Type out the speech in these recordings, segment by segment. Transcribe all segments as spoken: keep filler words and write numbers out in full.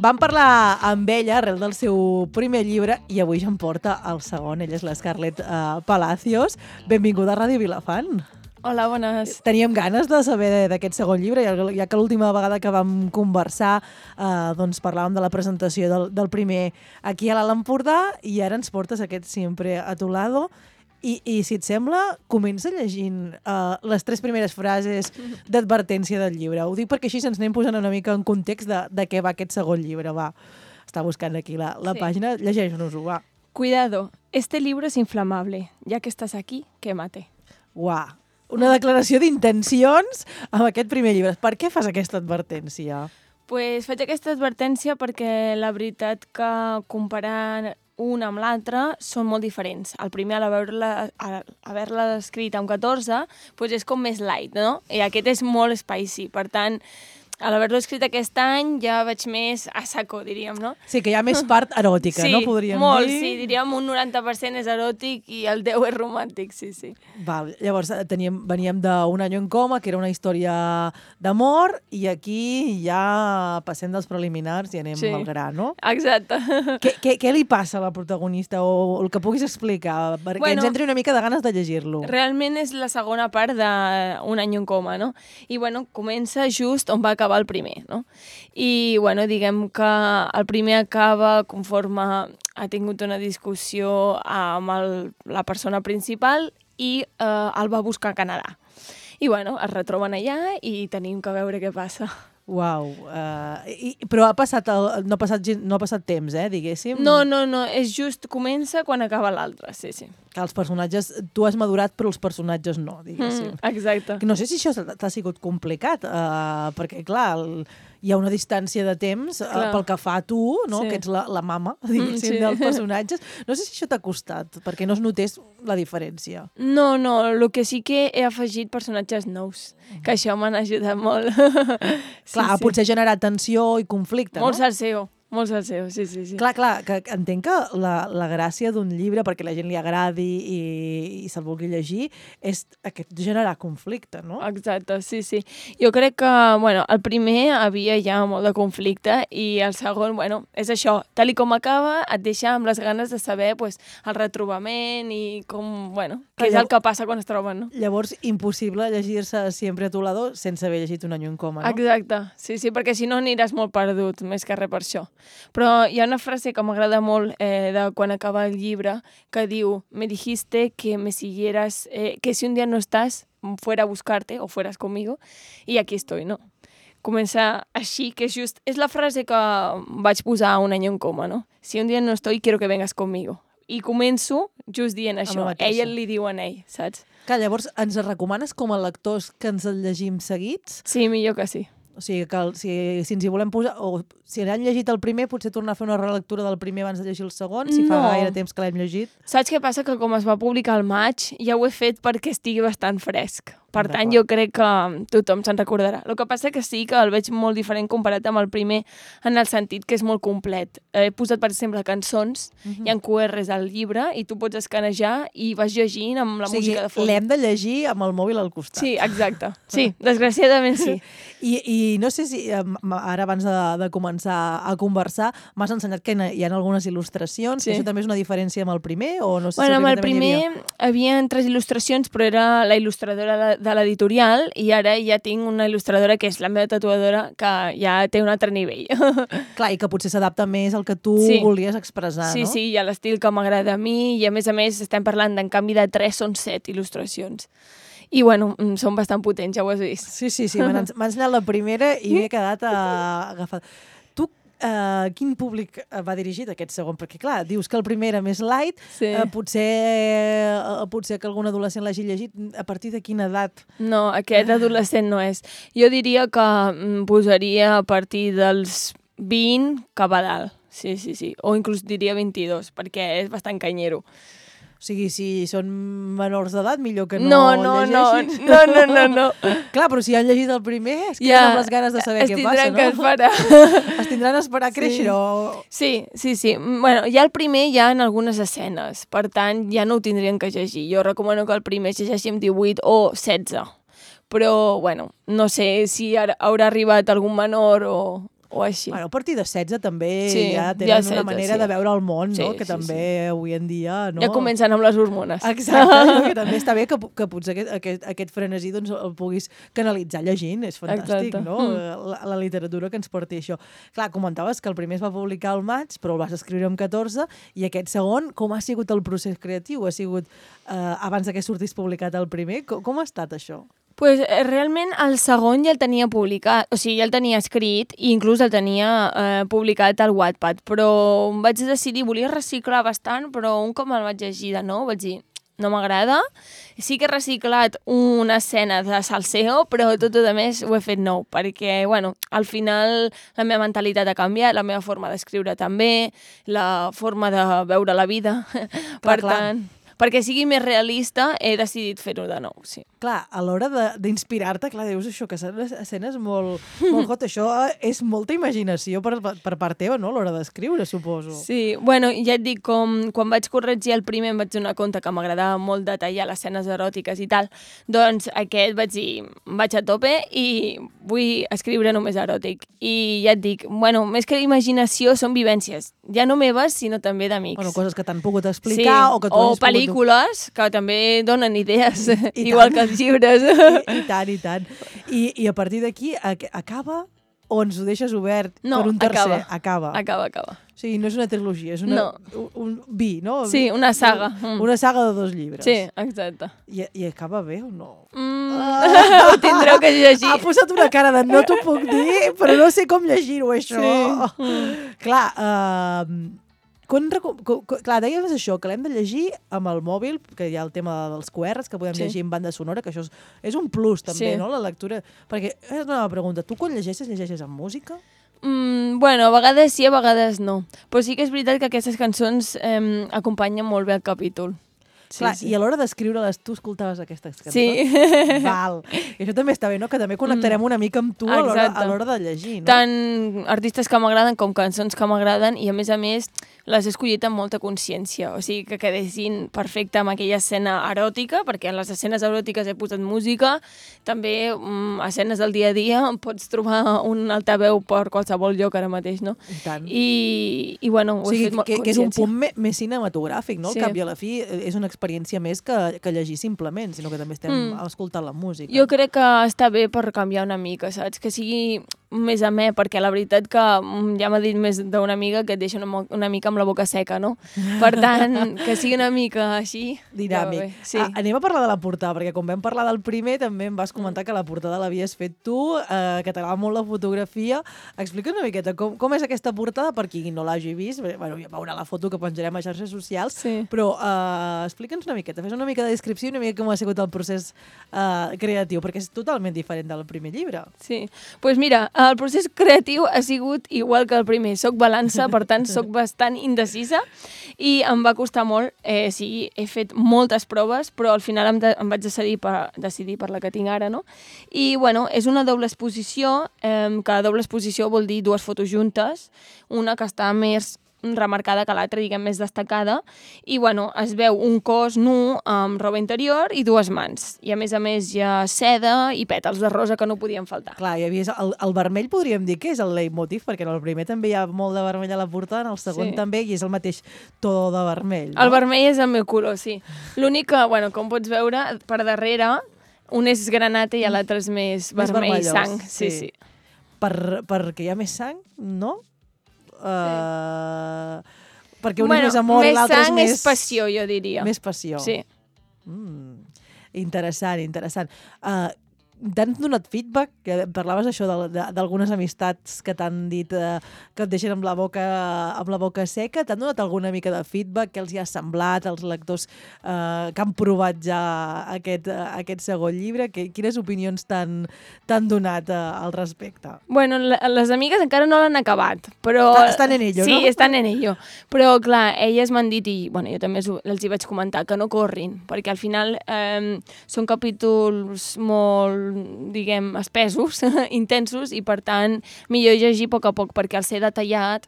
vam parlar amb ella arrel del seu primer llibre i avui ja em porta el segon. Ella és l'Scarlett uh, Palacios. Benvinguda a Ràdio Vilafant. Hola, bones. Teníem ganes de saber d'aquest segon llibre, ja que l'última vegada que vam conversar eh, doncs parlàvem de la presentació del, del primer aquí a l'Alt Empordà i ara ens portes aquest Siempre a tu lado. I, i si et sembla, comença llegint uh, les tres primeres frases d'advertència del llibre. Ho dic perquè així ens anem posant una mica en context de, de què va aquest segon llibre. Va, està buscant aquí la, la sí. pàgina, llegeix-nos-ho, va. Cuidado, este libro es inflamable. Ya que estás aquí, quémate. Uah, una declaració d'intencions amb aquest primer llibre. Per què fas aquesta advertència? Pues faig aquesta advertència perquè la veritat que comparant un amb l'altre són molt diferents. El primer, al haver-la haver escrit amb catorze, pues és com més light, no? I aquest és molt spicy. Per tant, a l'haver-lo escrit aquest any ja vaig més a saco, diríem, no? Sí, que hi ha més part eròtica, sí, no? Podríem molt, dir. Sí, diríem un noranta per cent és eròtic i el deu és romàntic, sí, sí. Val, llavors teníem, veníem d'Un año en coma, que era una història d'amor, i aquí ja passem dels preliminars i anem sí. al gra, no? Exacte. Què, què, què li passa a la protagonista o el que puguis explicar? Perquè bueno, ens entri una mica de ganes de llegir-lo. Realment és la segona part d'Un año en coma, no? I bueno, comença just on va acabar el primer, no? I, bueno, diguem que el primer acaba conforme ha tingut una discussió amb el, la persona principal i eh, el va buscar a Canadà. I, bueno, es retroben allà i tenim que veure què passa. Uau, uh, i, però ha passat el, no, ha passat, no ha passat temps, eh, diguéssim? No, no, no, és just comença quan acaba l'altre, sí, sí. Que els personatges, tu has madurat però els personatges no, diguéssim. Mm, exacte. No sé si això t'ha sigut complicat, uh, perquè clar, el, hi ha una distància de temps uh, pel que fa a tu, no? Sí. Que ets la, la mama, diguéssim, mm, sí. dels personatges. No sé si això t'ha costat, perquè no es notés la diferència. No, no, el que sí que he afegit personatges nous, que això m'han ajudat molt. Sí, clar, sí. Potser generar tensió i conflicte, molt no? Molt salseo. Molt salseo, sí, sí, sí. Clar, clar, que entenc que la, la gràcia d'un llibre, perquè la gent li agradi i, i se'l vulgui llegir, és aquest generar conflicte, no? Exacte, sí, sí. Jo crec que, bueno, el primer havia ja molt de conflicte i el segon, bueno, és això, tal i com acaba, et deixa amb les ganes de saber pues, el retrobament i com, bueno, què és el que passa quan es troben, no? Llavors, impossible llegir-se Siempre a tu lado sense haver llegit Un año en coma, no? Exacte, sí, sí, perquè si no aniràs molt perdut, més que res per això. Però hi ha una frase que m'agrada molt eh, de quan acaba el llibre que diu: me dijiste que me siguieras, eh, que si un día no estás, fuera a buscarte o fueras conmigo, y aquí estoy, no? Comença així, que és just... És la frase que vaig posar a Un año en coma, no? Si un día no estoy, quiero que vengas conmigo. I començo just dient això. Ell li diu a ell, saps? Que llavors ens recomanes com a lectors que ens el llegim seguits? Sí, millor que sí. O sigui, que el, si, si ens hi volem posar... O si han llegit el primer, potser tornar a fer una relectura del primer abans de llegir el segon, si no. fa gaire temps que l'hem llegit. Saps què passa? Que com es va publicar al maig, ja ho he fet perquè estigui bastant fresc. Per tant, jo crec que tothom se'n recordarà. El que passa que sí que el veig molt diferent comparat amb el primer, en el sentit que és molt complet. He posat, per exemple, cançons, uh-huh. hi ha Q Rs al llibre, i tu pots escanejar i vas llegint amb la o sigui, música de fons. L'hem de llegir amb el mòbil al costat. Sí, exacte. Sí, desgraciadament sí. I, i no sé si, ara abans de, de començar a conversar, m'has ensenyat que hi ha algunes il·lustracions, sí. que això també és una diferència amb el primer? O no sé bueno, si amb el primer hi havia... havia tres il·lustracions, però era la il·lustradora de l'editorial, i ara ja tinc una il·lustradora que és la meva tatuadora, que ja té un altre nivell. Clar, i que potser s'adapta més al que tu sí. volies expressar, sí, no? Sí, sí, i a l'estil que m'agrada a mi, i a més a més estem parlant d'en canvi de tres són set il·lustracions. I, bueno, són bastant potents, ja ho has vist. Sí, sí, sí, m'ha ensenyat la primera i m'he quedat uh, agafat. Tu, uh, quin públic va dirigit aquest segon? Perquè, clar, dius que el primer era més light, sí. uh, potser, uh, potser que algun adolescent l'hagi llegit. A partir de quina edat? No, aquest adolescent no és. Jo diria que posaria a partir dels vint cap a dalt. Sí, sí, sí. O inclús diria vint-i-dos, perquè és bastant canyero. O sigui, si són menors d'edat, millor que no, no, no llegeixin. No, no, no, no. Clar, però si han llegit el primer, es queden ja, amb les ganes de saber què passa, no? Es tindran que esperar. Es tindran a esperar a créixer, sí. o... Sí, sí, sí. Bueno, ja el primer hi ha en algunes escenes, per tant, ja no ho tindrien que llegir. Jo recomano que el primer llegeixi amb divuit o setze. Però, bueno, no sé si haurà arribat algun menor o... o així. Bueno, a partir de setze també Sí, ja ja tenen setze, una manera sí. de veure el món, no? Sí, Que sí, també avui en dia... No? Ja comencen amb les hormones. Exacte, no? Que també està bé que, que potser aquest, aquest, aquest frenesí doncs, el puguis canalitzar llegint, és fantàstic, Exacte. no? Mm. La, la literatura que ens porti això. Clar, comentaves que el primer es va publicar al maig, però el vas escriure amb catorze, i aquest segon, com ha sigut el procés creatiu? Ha sigut eh, abans que sortís publicat el primer? Com, com ha estat això? Pues, eh, realment el segon ja el tenia publicat, o sigui, ja el tenia escrit i inclús el tenia eh, publicat al Wattpad, però em vaig decidir, volia reciclar bastant, però un cop me'l vaig llegir de nou vaig dir, no m'agrada. Sí que he reciclat una escena de salseo, però tot el més ho he fet nou, perquè, bueno, al final la meva mentalitat ha canviat, la meva forma d'escriure també, la forma de veure la vida. Clar, per clar. tant, perquè sigui més realista, he decidit fer-ho de nou, sí. Clar, a l'hora d'inspirar-te, clar, dius això, que són escenes molt, molt hot. Això és molta imaginació per, per part teva, no?, a l'hora d'escriure, suposo. Sí, bueno, ja et dic, com quan vaig corregir el primer em vaig donar compte que m'agradava molt detallar les escenes eròtiques i tal, doncs aquest vaig dir, vaig a tope i vull escriure només eròtic. I ja et dic, bueno, més que imaginació són vivències, ja no meves, sinó també d'amics. Bueno, coses que t'han pogut explicar sí, o que tu o has pogut... pel·lícules que també donen idees, I igual tant. que els llibres. I, i tant, i tant. I, i a partir d'aquí ac acaba o ens ho deixes obert No, per un tercer? acaba. Acaba. Acaba, acaba. O sigui, no és una trilogia, és una, No. un, un vi, no? Sí, una saga. Mm. Una saga de dos llibres. Sí, exacte. I, I acaba bé o no? Mm, ho tindreu que llegir. Ha posat una cara de no t'ho puc dir, però no sé com llegir-ho, això. Sí. Mm. Clar, uh, quan, quan, clar, deies això, que l'hem de llegir amb el mòbil, que hi ha el tema dels Q Rs, que podem Sí. llegir en banda sonora, que això és, és un plus també, Sí. no?, la lectura. Perquè, és una pregunta, tu quan llegeixes, llegeixes amb música? Mm, bueno, a vegades sí, a vegades no. Però sí que és veritat que aquestes cançons eh, acompanyen molt bé el capítol. Sí, Clar, sí. i a l'hora d'escriure-les, tu escoltaves aquestes cançons? Sí. Val. I això també està bé, no?, que també connectarem una mica amb tu a l'hora Exacte. a l'hora de llegir, no? Tant artistes que m'agraden com cançons que m'agraden i, a més a més, les he escollit amb molta consciència. O sigui, que quedessin perfecte amb aquella escena eròtica, perquè en les escenes eròtiques he posat música. També, mm, escenes del dia a dia, pots trobar un altaveu per qualsevol lloc ara mateix, no? I tant. I, i bueno, ho O sigui, he fet molt que, que és un consciència. punt me, més cinematogràfic, no? Sí. Al cap i a la fi eh, és una experiència més que, que llegir simplement, sinó que també estem Mm. escoltant la música. Jo crec que està bé per canviar una mica, saps? Que sigui més amè, perquè la veritat que mm, ja m'ha dit més d'una amiga que et deixa una, mo- una mica amb la boca seca, no? Per tant, que sigui una mica així... Dinàmic. ja va bé. Sí. A, anem a parlar de la portada, perquè quan vam parlar del primer també em vas comentar Mm. que la portada l'havies fet tu, eh, que t'agrada molt la fotografia. Explica una miqueta com, com és aquesta portada, per qui no l'hagi vist. Bé, bueno, ja veurà la foto que penjarem a xarxes socials, Sí. però eh, explica'ns una miqueta, fes una mica de descripció i una mica com ha sigut el procés eh, creatiu, perquè és totalment diferent del primer llibre. Sí, doncs pues mira, el procés creatiu ha sigut igual que el primer. Soc balança, per tant, soc bastant indecisa i em va costar molt. Eh, sí, he fet moltes proves, però al final em, de, em vaig decidir per, decidir per la que tinc ara, no? I, bueno, és una doble exposició, eh, que doble exposició vol dir dues fotos juntes, una que està més remarcada que l'altra, diguem, més destacada, i, bueno, es veu un cos nu amb roba interior i dues mans. I, a més a més, hi ha seda i pètals de rosa que no podien faltar. Clar, hi havia el, el vermell podríem dir que és el leitmotiv, perquè en el primer també hi ha molt de vermell a la portada, en el segon Sí. també, i és el mateix to de vermell. No? El vermell és el meu color, sí. L'únic que, bueno, com pots veure, per darrere, un és granata i l'altre és més, Més vermell vermellós, sang. Sí, sí. sí. Per, perquè hi ha més sang, no? Uh, perquè un Bueno, és més amor i més l'altre és sang més... és passió, jo diria. Més passió. Sí. Mm, interessant, interessant. Uh, T'han donat feedback? Que parlaves això de- de- d'algunes amistats que t'han dit eh, que et deixen amb la boca amb la boca seca. T'han donat alguna mica de feedback? Què els hi ha semblat als lectors eh, que han provat ja aquest, eh, aquest segon llibre? Que, quines opinions t'han t'han donat eh, al respecte? Bueno, la- les amigues encara no l'han acabat, però... Està- estan en ello, sí, no? Sí, estan en ello. Però, clar, elles m'han dit, i bueno, jo també els, els hi vaig comentar, que no corrin, perquè al final eh, són capítols molt, diguem, espesos, intensos, i per tant, millor llegir a poc a poc, perquè al ser detallat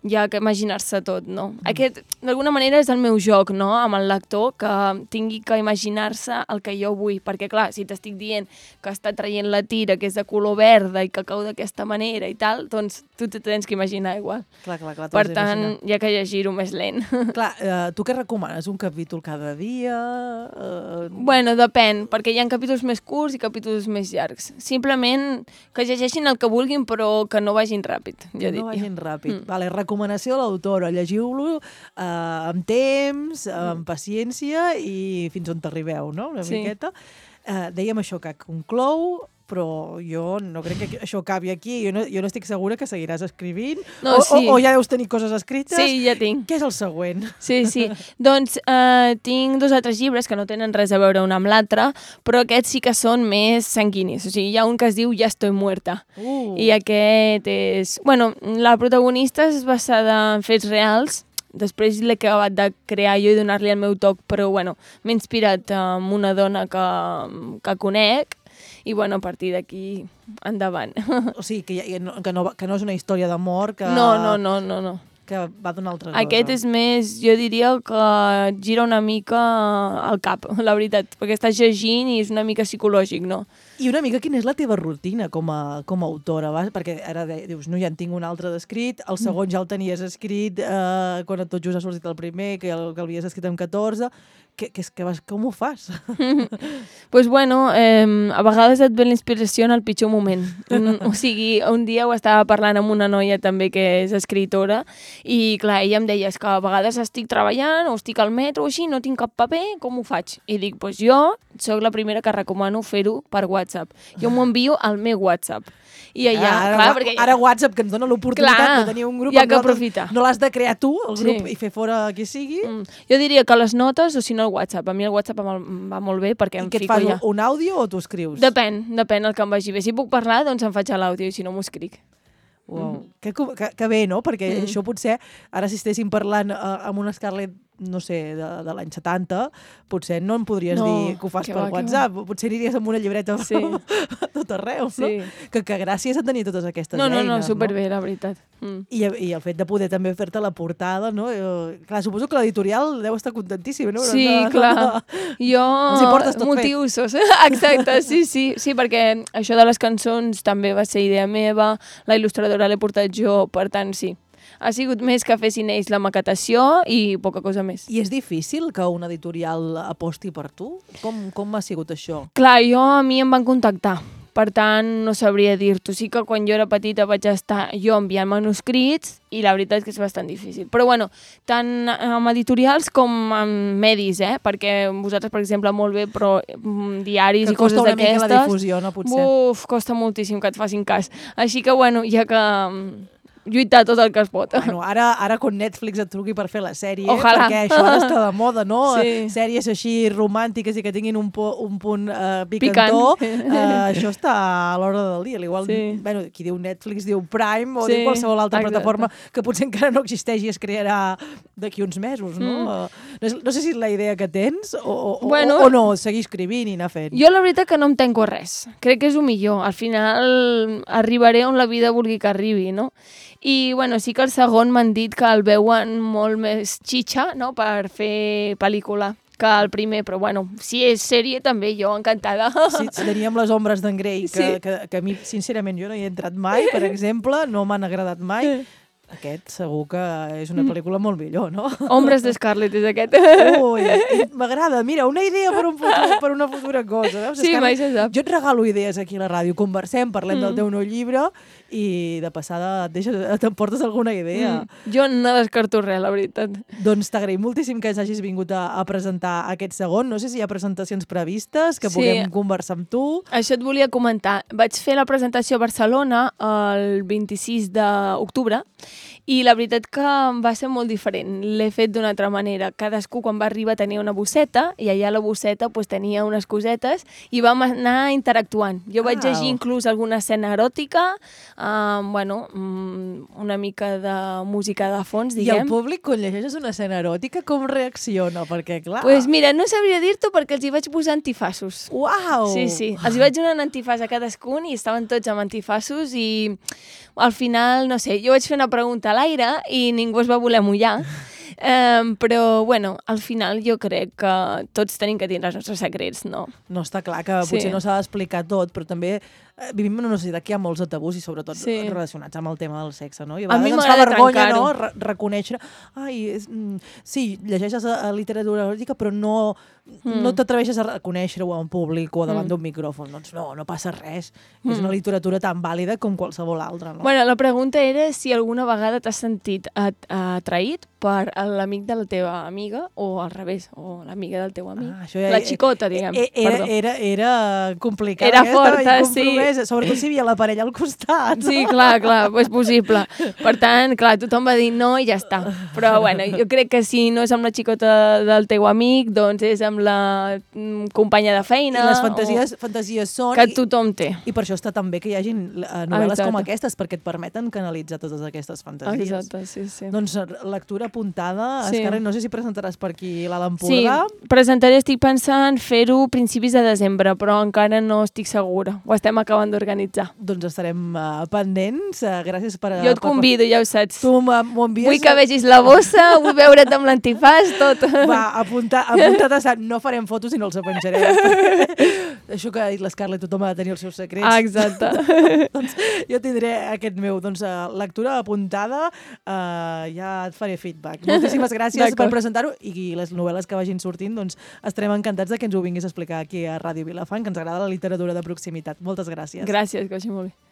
hi ha que imaginar-se tot, no? Mm. Aquest, d'alguna manera, és el meu joc, no?, amb el lector, que tingui que imaginar-se el que jo vull, perquè, clar, si t'estic dient que està traient la tira, que és de color verda i que cau d'aquesta manera i tal, doncs tu te tens que imaginar igual. Clar, clar, clar. Per tant, hi ha que llegir-ho més lent. Clar, eh, tu què recomanes? Un capítol cada dia? Eh... Bueno, depèn, perquè hi ha capítols més curts i capítols més llargs. Simplement que llegeixin el que vulguin, però que no vagin ràpid, jo diria. No vagin ràpid. Mm. Vale, recomanació de l'autora. Llegiu-lo eh, amb temps, amb paciència i fins on t'arribeu, no? Una sí. miqueta. Eh, dèiem això que conclou, però jo no crec que això acabi aquí. Jo no, jo no estic segura que seguiràs escrivint. No, o, sí. o, o ja deus tenir coses escrites. Sí, ja tinc. Què és el següent? Sí, sí. Doncs eh, tinc dos altres llibres que no tenen res a veure un amb l'altre, però aquests sí que són més sanguinis. O sigui, hi ha un que es diu Ja estoy muerta. Uh. I aquest és... Bueno, la protagonista és basada en fets reals. Després l'he acabat de crear jo i donar-li el meu toc, però bueno, m'he inspirat en una dona que, que conec i bueno, a partir d'aquí endavant. O sigui, que, ja, que, no, que no és una història d'amor, que... No, no, no, no, no. Que va d'una altra cosa. Aquest és més, jo diria que gira una mica al cap, la veritat, perquè estàs llegint i és una mica psicològic, no? I una mica quina és la teva rutina com a, com a autora? Va? Perquè ara de, dius, no, ja en tinc un altre d'escrit, el segon ja el tenies escrit eh, quan tot just ha sortit el primer, que el, que l'havies escrit amb catorze. Que, que, que vas, com ho fas? Pues bueno, eh, a vegades et ve la inspiració en el pitjor moment. Un, o sigui, un dia ho estava parlant amb una noia també que és escritora i clar, ella em deia és que a vegades estic treballant o estic al metro o així, no tinc cap paper, com ho faig? I dic, doncs jo soc la primera que recomano fer-ho per WhatsApp. Jo m'ho envio al meu WhatsApp. I allà, ara, clar, perquè... Ara WhatsApp, que ens dona l'oportunitat de tenir un grup... Hi ha que aprofitar. No l'has de crear tu, el grup, sí. i fer fora qui sigui. Mm. Jo diria que les notes, o si no el WhatsApp. A mi el WhatsApp em va molt bé perquè I em què et fico fas, ja. Un àudio o t'ho escrius? Depèn, depèn el que em vagi bé. Si puc parlar, doncs em faig l'àudio i si no m'ho escric. Wow. Mm. Que, que, que bé, no? Perquè mm. això potser, ara si estéssim parlant uh, amb una Scarlett, no sé, de, de l'any setanta, potser no em podries no, dir que ho fas per va, WhatsApp. Potser aniries amb una llibreta sí. a tot arreu, sí. no? Que, que gràcies a tenir totes aquestes no, no, eines. No, no, superbé, no? La veritat. Mm. I, I el fet de poder també fer-te la portada, no? Jo, clar, suposo que l'editorial deu estar contentíssima, no? Sí, no, clar. No, no. Jo... Els hi portes tot motius, fet. Exacte, sí, sí. Sí, perquè això de les cançons també va ser idea meva, la il·lustradora l'he portat jo, per tant, sí. Ha sigut més que fessin ells la maquetació i poca cosa més. I és difícil que un editorial aposti per tu? Com, com ha sigut això? Clar, jo a mi em van contactar. Per tant, no sabria dir-t'ho. Sí que quan jo era petita vaig estar jo enviant manuscrits i la veritat és que és bastant difícil. Però bueno, tant amb editorials com amb medis, eh? Perquè vosaltres, per exemple, molt bé, però diaris que i coses d'aquestes... Que costa una mica la difusió, no? Potser. Uf, costa moltíssim que et facin cas. Així que, bueno, ja que... lluitar tot el que es pot. Bueno, ara, ara quan Netflix et truqui per fer la sèrie, Ojalà. Perquè això ara està de moda, no? Sí. Sèries així romàntiques i que tinguin un, po, un punt uh, picantó, uh, això està a l'hora del dia. Igual, sí. Bueno, qui diu Netflix diu Prime o sí. diu qualsevol altra Exacte. Plataforma que potser encara no existeix i es crearà d'aquí uns mesos, no? Mm. Uh, no, no sé si és la idea que tens o, o, bueno, o, o no, seguir escrivint i anar fent. Jo la veritat que no em tanco res. Crec que és el millor. Al final arribaré on la vida vulgui que arribi, no? I bueno, sí que el segon m'han dit que el veuen molt més xitxa, no?, per fer pel·lícula que el primer, però bueno, si és sèrie també, jo encantada. Sí, teníem Les ombres d'en Grey, que, sí. que, que a mi, sincerament, jo no hi he entrat mai, per exemple, no m'han agradat mai. Aquest segur que és una pel·lícula molt millor, no? Ombres de Scarlett és aquest. Ui, m'agrada. Mira, una idea per, un futur, per una futura cosa. Veus? Sí, mai se sap. Jo et regalo idees aquí a la ràdio. Conversem, parlem mm. del teu nou llibre i de passada et deixes, t'emportes alguna idea. Mm. Jo no descarto res, la veritat. Doncs t'agraïm moltíssim que hagis vingut a, a presentar aquest segon. No sé si hi ha presentacions previstes, que sí. puguem conversar amb tu. Això et volia comentar. Vaig fer la presentació a Barcelona el vint-i-sis d'octubre i la veritat que va ser molt diferent. L'he fet d'una altra manera. Cadascú, quan va arribar, tenia una bosseta i allà a la bosseta pues, tenia unes cosetes i vam anar interactuant. Jo vaig llegir inclús alguna escena eròtica, uh, bueno, una mica de música de fons, diguem. I el públic, quan llegeixes una escena eròtica, com reacciona? Perquè, clar... Pues mira, no sabria dir-t'ho perquè els hi vaig posar antifassos. Uau! Sí, sí. Els hi vaig donar un antifàs a cadascun i estaven tots amb antifassos i al final, no sé, jo vaig fer una pregunta a l'aire i ningú es va voler mullar. Um, però, bueno, al final jo crec que tots tenim que tindre els nostres secrets, no? No, està clar que potser Sí. no s'ha d'explicar tot, però també eh, vivim en una societat que hi ha molts de tabús i sobretot Sí. relacionats amb el tema del sexe, no? I a A mi vegades ens fa m'agrada vergonya, trencar-ho. no?, Re reconèixer... Ai, és, mm, sí, llegeixes a, a literatura eròtica, però no, Mm. no t'atreveixes a reconèixer-ho en públic o davant Mm. d'un micròfon. Doncs no, no passa res. Mm. És una literatura tan vàlida com qualsevol altra, no? Bueno, la pregunta era si alguna vegada t'has sentit at atraït per l'amic de la teva amiga o al revés, o l'amiga del teu amic. Ah, això ja- la xicota, diguem. E- Era, perdó. era, era complicat Era aquesta, forta, i sí. compromesa, sobretot si hi havia la parella al costat. Sí, clar, clar, és possible. Per tant, clar, tothom va dir no i ja està. Però, bueno, jo crec que si no és amb la xicota del teu amic, doncs és amb la mm, companya de feina. I les fantasies, fantasies o... són... Que i- tothom té. I per això està tan bé que hi hagin eh, novel·les Exacte. com aquestes, perquè et permeten canalitzar totes aquestes fantasies. Exacte, sí, sí. Doncs eh, lectura apuntada. Sí. Escarre, no sé si presentaràs per aquí l'Alt Sí, Empordà. presentaré, estic pensant fer-ho a principis de desembre, però encara no estic segura. Ho estem acabant d'organitzar. Doncs estarem uh, pendents. Uh, gràcies per... Jo et per- convido, ja ho saps. Tu m'ho m'ho envies... Vull que vegis la bossa, vull veure't amb l'antifàs, tot. Va, apunta, apunta't a Sant. No farem fotos i no els penjarem. Això que ha dit l'Scarlett, tothom ha de tenir els seus secrets. Ah, exacte. Doncs jo tindré aquest meu. Doncs uh, lectura apuntada, uh, ja et faré feedback. Moltíssimes gràcies per D'acord. presentar-ho i les novel·les que vagin sortint, doncs estarem encantats de que ens ho vinguis a explicar aquí a Ràdio Vilafant, que ens agrada la literatura de proximitat. Moltes gràcies. Gràcies, que vagi molt bé.